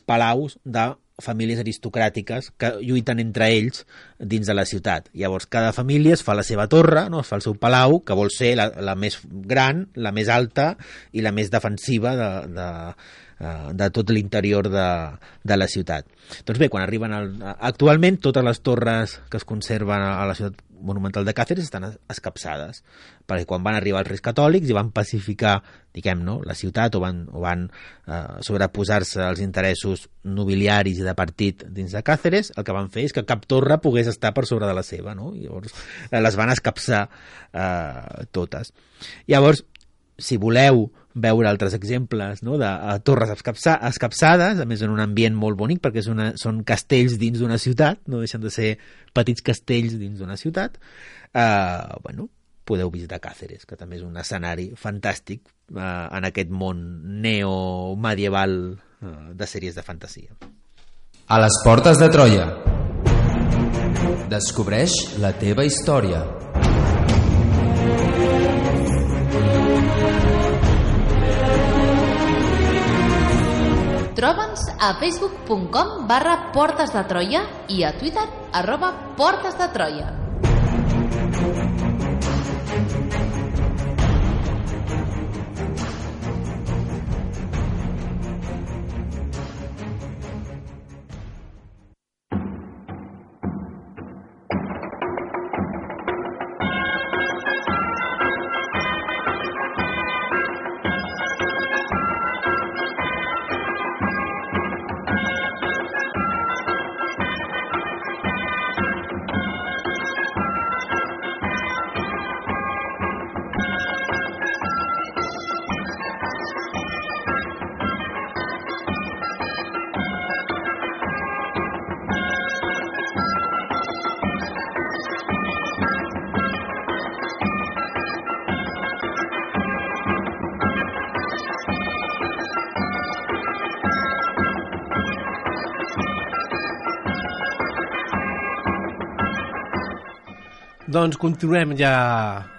[SPEAKER 4] palaus de famílies aristocràtiques que lluiten entre ells dins de la ciutat. Llavors, cada família es fa la seva torre, no? Es fa el seu palau, que vol ser la més gran, la més alta i la més defensiva de tot l'interior de la ciutat. Doncs bé, quan arriben actualment totes les torres que es conserven a la ciutat monumental de Càceres estan escapçades, perquè quan van arribar els reis catòlics i van pacificar, la ciutat o van sobreposar-se als interessos nobiliaris i de partit dins de Càceres, el que van fer és que cap torre pogués estar per sobre de la seva, no? Llavors les van escapçar totes. Llavors, si voleu veure altres exemples, no, de torres escapçades, a més en un ambient molt bonic, perquè són castells dins d'una ciutat, no deixen de ser petits castells dins d'una ciutat, podeu visitar Càceres, que també és un escenari fantàstic en aquest món neomedieval de sèries de fantasia.
[SPEAKER 2] A les portes de Troia. Descobreix la teva història.
[SPEAKER 1] Troba'ns a facebook.com/Portes de Troia i a Twitter @Portes de Troia.
[SPEAKER 3] Doncs continuem ja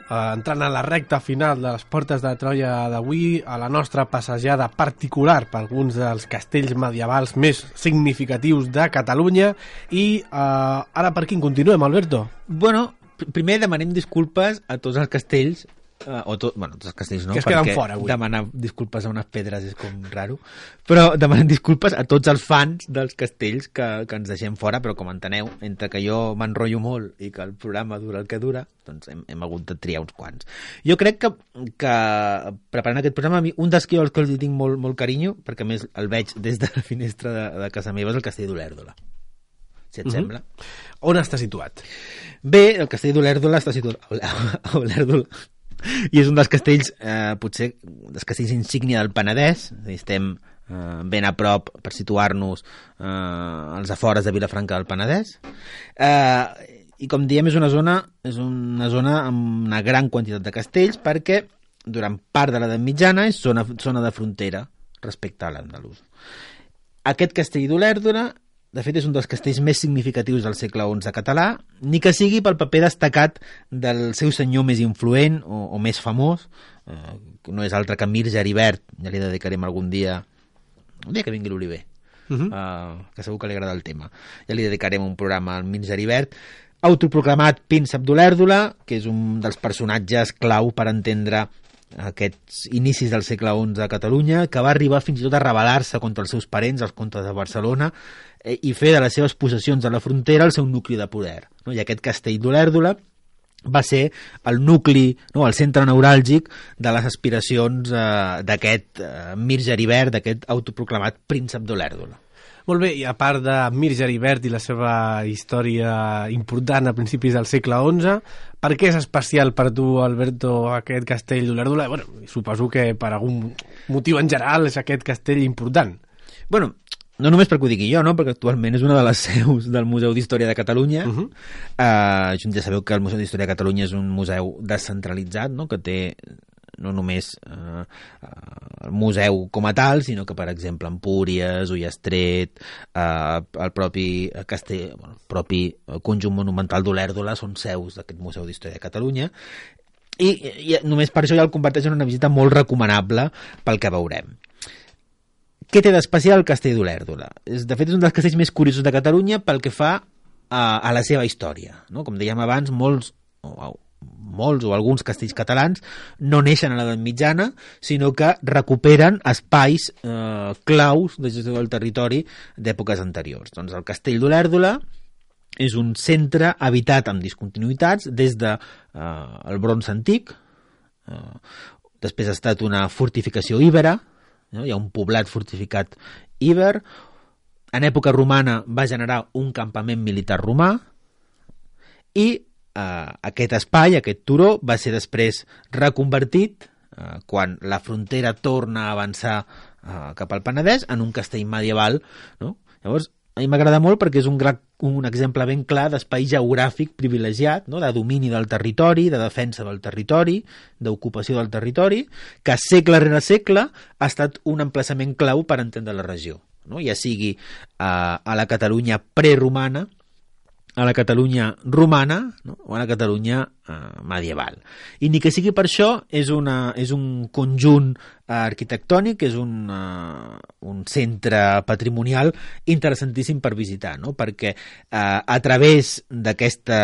[SPEAKER 3] entrant a la recta final de les portes de Troia d'avui, a la nostra passejada particular per alguns dels castells medievals més significatius de Catalunya. I ara per quin continuem, Alberto?
[SPEAKER 4] Bueno, primer demanem disculpes a tots els castells, tots els castells no,
[SPEAKER 3] que es queden fora avui.
[SPEAKER 4] Demanar disculpes a unes pedres és com raro, però demanem disculpes a tots els fans dels castells que ens deixem fora, però com enteneu, entre que jo m'enrotllo molt i que el programa dura el que dura, doncs hem hagut de triar uns quants. Jo crec que preparant aquest programa, a mi, un dels que jo els tinc molt carinyo, perquè a més el veig des de la finestra de casa meva, és el castell d'Olèrdola, si et sembla.
[SPEAKER 3] On està situat?
[SPEAKER 4] Bé, el castell d'Olèrdola està situat a Olèrdola, i és un dels castells, potser dels castells insígnia del Penedès. Estem ben a prop, per situar-nos, als afores de Vilafranca del Penedès, i com diem és una zona amb una gran quantitat de castells, perquè durant part de l'edat mitjana és zona de frontera respecte a l'andalús. Aquest castell d'Olèrdola, de fet, és un dels castells més significatius del segle XI català, ni que sigui pel paper destacat del seu senyor més influent o més famós, no és altre que Mir Geribert. Ja li dedicarem algun dia que vingui l'Oliver, que segur que li agrada el tema. Ja li dedicarem un programa al Mir Geribert, autoproclamat príncep d'Olèrdola, que és un dels personatges clau per entendre aquests inicis del segle XI a Catalunya, que va arribar fins i tot a rebel·lar-se contra els seus parents, els comtes de Barcelona, i fer de les seves possessions a la frontera el seu nucli de poder. I aquest castell d'Olèrdola va ser el nucli, el centre neuràlgic de les aspiracions d'aquest Mir Geribert, d'aquest autoproclamat príncep d'Olèrdola.
[SPEAKER 3] Molt bé, i a part de Mir Geribert i la seva història important a principis del segle XI, per què és especial per tu, Alberto, aquest castell d'Olèrdola? Bueno, suposo que per algun motiu en general és aquest castell important.
[SPEAKER 4] Bueno, no només perquè ho digui jo, no? Perquè actualment és una de les seus del Museu d'Història de Catalunya. Ja sabeu que el Museu d'Història de Catalunya és un museu descentralitzat, no? Que té no només el museu com a tal, sinó que, per exemple, Empúries, Ullastret, el propi castell, el propi conjunt monumental d'Olèrdola són seus d'aquest Museu d'Història de Catalunya, i només per això ja el converteix en una visita molt recomanable pel que veurem. Què té d'especial el castell d'Olèrdola? De fet, és un dels castells més curiosos de Catalunya pel que fa a la seva història, no? Com dèiem abans, molts o alguns castells catalans no neixen a l'edat mitjana, sinó que recuperen espais claus de gestió del territori d'èpoques anteriors. Doncs el castell d'Olèrdola és un centre habitat amb discontinuïtats des de el bronze antic, després ha estat una fortificació íbera, no? Hi ha un poblat fortificat íber, en època romana va generar un campament militar romà, i aquest espai, aquest turó, va ser després reconvertit quan la frontera torna a avançar cap al Penedès en un castell medieval, no? Llavors, a mi m'agrada molt perquè és un exemple ben clar d'espai geogràfic privilegiat, no? De domini del territori, de defensa del territori, d'ocupació del territori, que segle rere segle ha estat un emplaçament clau per entendre la regió, no? Ja sigui a la Catalunya preromana, a la Catalunya romana, no? O a la Catalunya medieval. I ni que sigui per això, és un conjunt arquitectònic, és un centre patrimonial interessantíssim per visitar, no? Perquè a través d'aquesta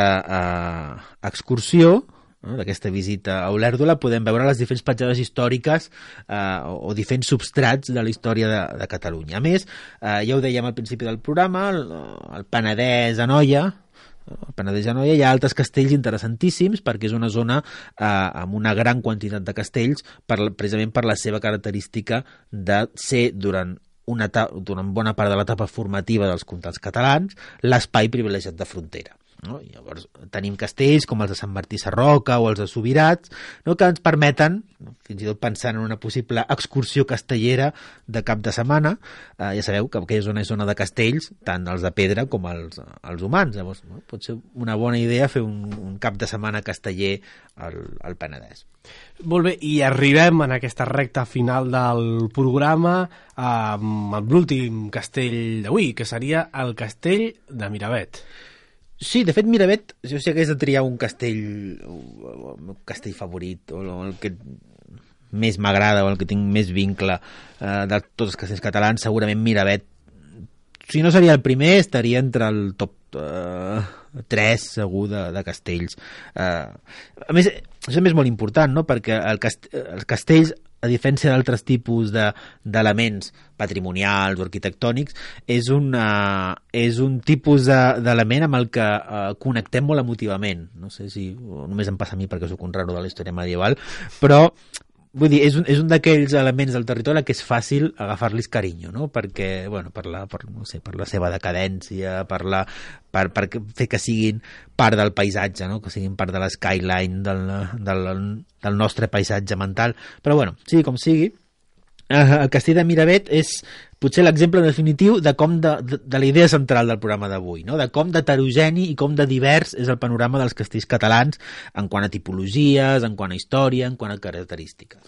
[SPEAKER 4] excursió, d'aquesta visita a Olèrdola, podem veure les diferents petjades històriques o diferents substrats de la història de Catalunya. A més, ja ho dèiem al principi del programa, el Penedès, Anoia, hi ha altres castells interessantíssims perquè és una zona amb una gran quantitat de castells precisament per la seva característica de ser durant bona part de l'etapa formativa dels comtats catalans l'espai privilegiat de frontera. No? I llavors tenim castells com els de Sant Martí Sarroca o els de Subirats, no? Que ens permeten, fins i tot pensant en una possible excursió castellera de cap de setmana, ja sabeu que aquella zona és zona de castells, tant els de pedra com els humans. Llavors, no? Pot ser una bona idea fer un cap de setmana casteller al Penedès.
[SPEAKER 3] Molt bé, i arribem en aquesta recta final del programa amb l'últim castell d'avui, que seria el castell de Miravet.
[SPEAKER 4] Sí, de fet, Miravet, jo si hagués de triar un castell, el meu castell favorit, o el que més m'agrada, o el que tinc més vincle de tots els castells catalans, segurament Miravet, si no seria el primer, estaria entre el top 3, segur, de castells. A més, això és molt important, no? Perquè els castells, a diferència d'altres tipus d'elements patrimonials o arquitectònics, és un tipus d'element amb el que connectem molt emotivament. No sé si només em passa a mi perquè soc un raro de la història medieval, però vull dir, és un d'aquells elements del territori que és fàcil agafar-los carinyo, no? Perquè, bueno, per la seva decadència, per fer que siguin part del paisatge, no? Que siguin part de l'skyline del nostre paisatge mental. Però, bueno, sigui com sigui, el castell de Miravet és potser l'exemple definitiu de la idea central del programa d'avui, no? De com d'heterogeni i com de divers és el panorama dels castells catalans en quant a tipologies, en quant a història, en quant a característiques.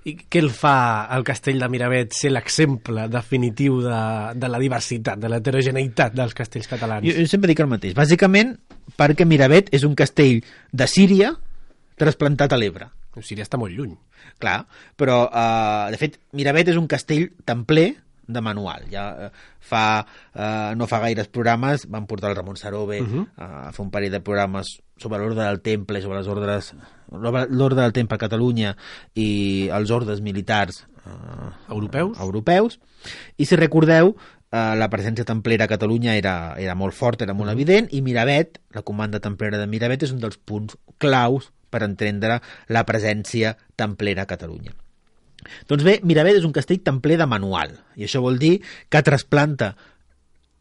[SPEAKER 3] I què el fa el castell de Miravet ser l'exemple definitiu de la diversitat, de l'heterogeneïtat dels castells catalans?
[SPEAKER 4] Jo sempre dic el mateix. Bàsicament perquè Miravet és un castell de Síria trasplantat a l'Ebre.
[SPEAKER 3] Síria està molt lluny.
[SPEAKER 4] Clar, però de fet Miravet és un castell templer de manual. Ja no fa gaires programes van portar el Ramon Sarove a fer un parell de programes sobre l'ordre del temple, sobre l'ordre del temple a Catalunya i els ordes militars europeus. I si recordeu, la presència templera a Catalunya era molt forta, era molt evident, i Miravet, la comanda templera de Miravet, és un dels punts claus per entendre la presència templera a Catalunya. Doncs bé, Miravet és un castell templer de manual, i això vol dir que trasplanta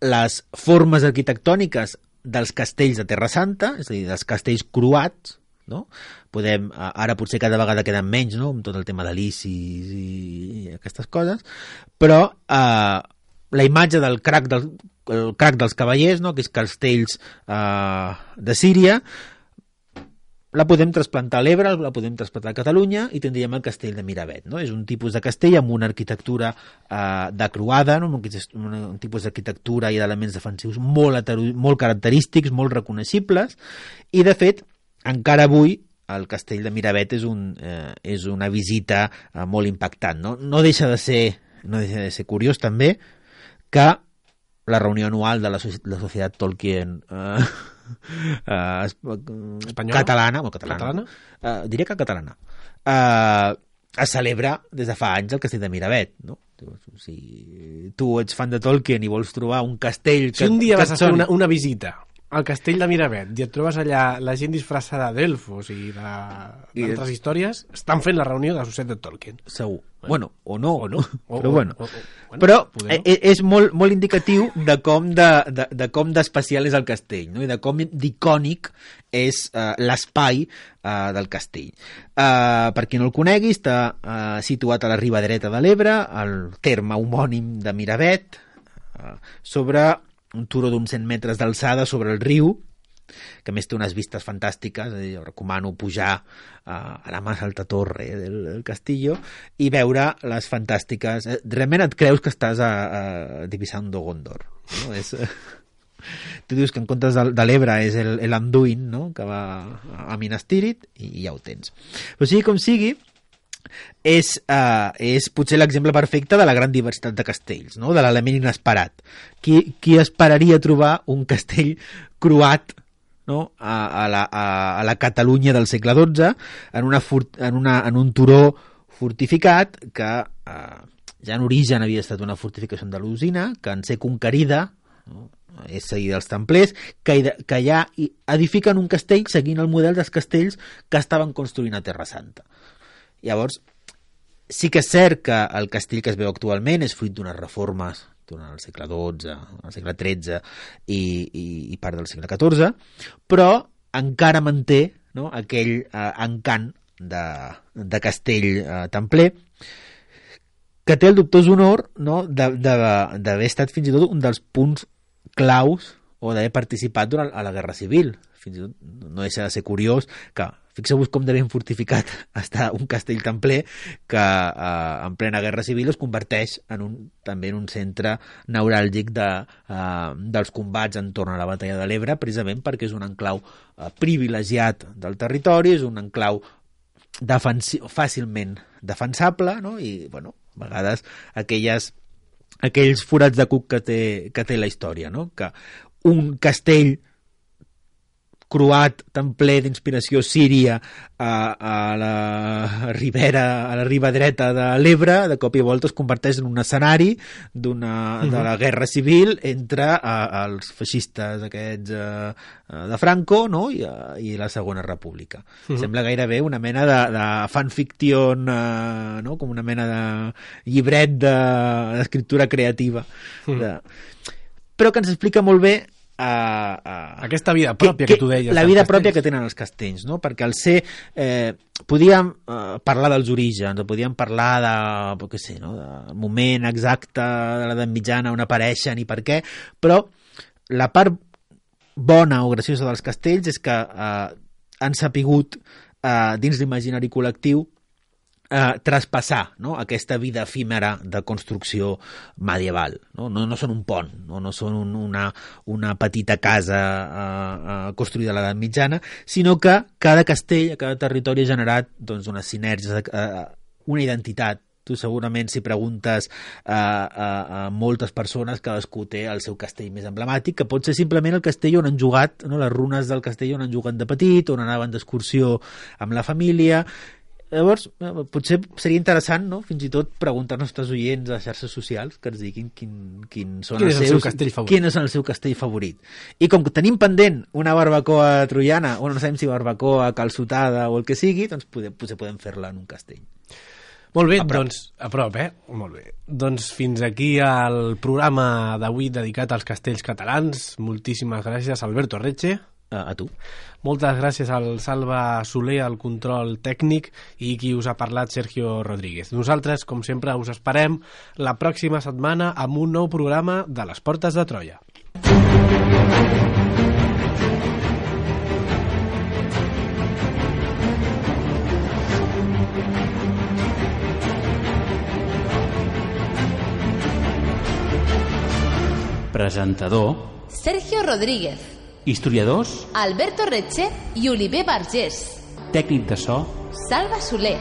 [SPEAKER 4] les formes arquitectòniques dels castells de Terra Santa, és a dir, dels castells croats, no? Ara potser cada vegada queden menys, no?, amb tot el tema de l'Isis i aquestes coses, però la imatge del crac dels cavallers, no?, aquests castells de Síria, la podem trasplantar a l'Ebre, la podem trasplantar a Catalunya i tindríem el castell de Miravet, no? És un tipus de castell amb una arquitectura de croada, no? Un tipus d'arquitectura i d'elements defensius molt característics, molt reconeixibles, i de fet, encara avui el castell de Miravet és una visita molt impactant, no? No deixa de ser curiós també que la reunió anual de la Societat Tolkien catalana, diria que catalana, es celebra des de fa anys el castell de Miravet, no? Si tu ets fan de Tolkien i vols trobar un castell
[SPEAKER 3] si un dia vas a fer una visita al castell de Miravet i et trobes allà la gent disfressada d'elfos i d'altres històries, estan fent la reunió de la Societat Tolkien.
[SPEAKER 4] Segur. Bueno, o no. Però és molt indicatiu de com d'especial és el castell, no? I de com d'icònic és l'espai del castell. Per qui no el conegui, està situat a la riba dreta de l'Ebre, al terme homònim de Miravet, sobre un turó d'uns 100 metres d'alçada sobre el riu, que a més té unes vistes fantàstiques. Jo recomano pujar a la más alta torre del Castillo i veure les fantàstiques... Realment et creus que estàs a Divisando Gondor, no? Tu dius que en comptes de l'Ebre és l'Anduin, no?, que va a Minas Tirith, i ja ho tens. Però sigui com sigui, és potser l'exemple perfecte de la gran diversitat de castells, no?, de l'element inesperat. Qui esperaria trobar un castell croat, no?, a la Catalunya del segle XII en un turó fortificat que ja en origen havia estat una fortificació andalusina, que en ser conquerida, no?, és seguida dels templers, que ja edifiquen un castell seguint el model dels castells que estaven construint a Terra Santa. Llavors, sí que és cert que el castell que es veu actualment és fruit d'unes reformes durant el segle XII, el segle XIII i part del segle XIV, però encara manté, no?, aquell encant de castell templer, que té el dubtós honor, no?, d'haver estat fins i tot un dels punts claus o d'haver participat a la Guerra Civil. Fins i tot no deixa de ser curiós que, fixeu-vos com de ben fortificat està un castell templer que en plena Guerra Civil es converteix també en un centre neuràlgic dels combats entorn a la batalla de l'Ebre, precisament perquè és un enclau privilegiat del territori, és un enclau fàcilment defensable, no? I, bueno, a vegades aquells forats de cuc que té la història, no?, que un castell croat templer d'inspiració síria a la riba dreta de l'Ebre, de cop i volta es converteix en un escenari de la guerra civil entre els feixistes aquests de Franco, no?, i la Segona República. Sembla gairebé una mena de fanfiction, no?, com una mena de llibret d'escriptura creativa. Però que ens explica molt bé
[SPEAKER 3] aquesta vida pròpia que tu deies,
[SPEAKER 4] la vida pròpia que tenen els castells, no? Perquè al ser podíem parlar dels orígens, o podíem parlar del moment exacte de l'edat mitjana on apareixen i per què, però la part bona o graciosa dels castells és que han sapigut dins l'imaginari col·lectiu traspassar, no?, aquesta vida efímera de construcció medieval. No són un pont, no són una petita casa construïda a l'edat mitjana, sinó que cada castell, cada territori ha generat, doncs, unes sinergies, una identitat Tu segurament si preguntes a moltes persones, cadascú té el seu castell més emblemàtic, que pot ser simplement el castell on han jugat, no? Les runes del castell on han jugat de petit, on anaven d'excursió amb la família. Llavors, potser seria interessant, no?, fins i tot preguntar als nostres oients a les xarxes socials que ens diguin quin és el seu castell favorit. I com que tenim pendent una barbacoa troiana, o no sabem si barbacoa, calçotada o el que sigui, doncs potser podem fer-la en un castell.
[SPEAKER 3] Molt bé, a prop, Molt bé. Doncs fins aquí el programa d'avui dedicat als castells catalans. Moltíssimes gràcies, Alberto Reche.
[SPEAKER 4] A tu.
[SPEAKER 3] Moltes gràcies al Salva Soler, al control tècnic, i qui us ha parlat, Sergio Rodríguez. Nosaltres, com sempre, us esperem la pròxima setmana amb un nou programa de les Portes de Troia.
[SPEAKER 5] Presentador
[SPEAKER 1] Sergio Rodríguez.
[SPEAKER 5] Historiadors
[SPEAKER 1] Alberto Reche i Oliver Vergés.
[SPEAKER 5] Tècnic de so
[SPEAKER 1] Salva Soler.